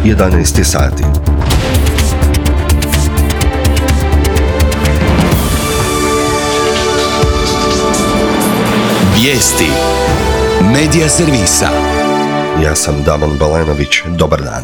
11 je sati. Vijesti Medija servisa. Ja sam Damon Balenović, dobar dan.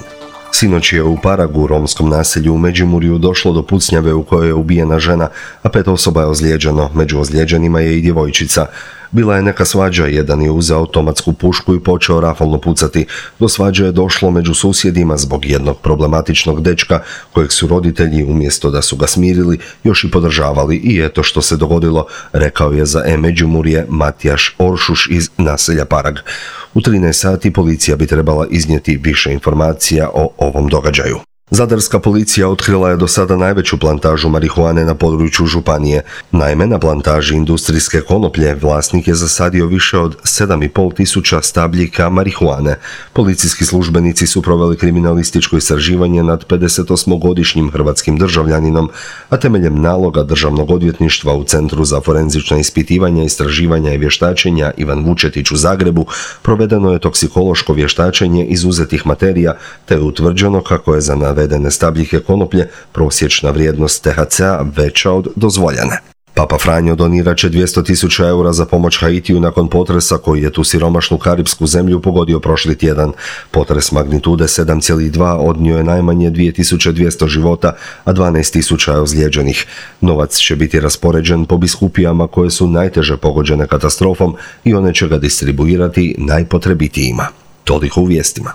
Sinoć je u Paragu, u romskom naselju u Međimurju, došlo do pucnjave u kojoj je ubijena žena, a 5 osoba je ozlijeđeno. Među ozlijeđenima je i djevojčica. Bila je neka svađa, jedan je uzeo automatsku pušku i počeo rafalno pucati. Do svađe je došlo među susjedima zbog jednog problematičnog dečka kojeg su roditelji, umjesto da su ga smirili, još i podržavali. I eto što se dogodilo, rekao je za Međimurje Matijaš Oršuš iz naselja Parag. U 13 sati policija bi trebala iznijeti više informacija o ovom događaju. Zadarska policija otkrila je do sada najveću plantažu marihuane na području županije. Naime, na plantaži industrijske konoplje vlasnik je zasadio više od 7.500 stabljika marihuane. Policijski službenici su proveli kriminalističko istraživanje nad 58-godišnjim hrvatskim državljaninom, a temeljem naloga Državnog odvjetništva u Centru za forenzična ispitivanja, istraživanja i vještačenja Ivan Vučetić u Zagrebu provedeno je toksikološko vještačenje izuzetih materija, te je utvrđeno kako je za navedene stabljike konoplje prosječna vrijednost THC-a veća od dozvoljene. Papa Franjo donirat će 200.000 eura za pomoć Haitiju nakon potresa koji je tu siromašnu karipsku zemlju pogodio prošli tjedan. Potres magnitude 7,2 odnio je najmanje 2.200 života, a 12.000 je ozlijeđenih. Novac će biti raspoređen po biskupijama koje su najteže pogođene katastrofom i one će ga distribuirati najpotrebitijima. Toliko u vijestima.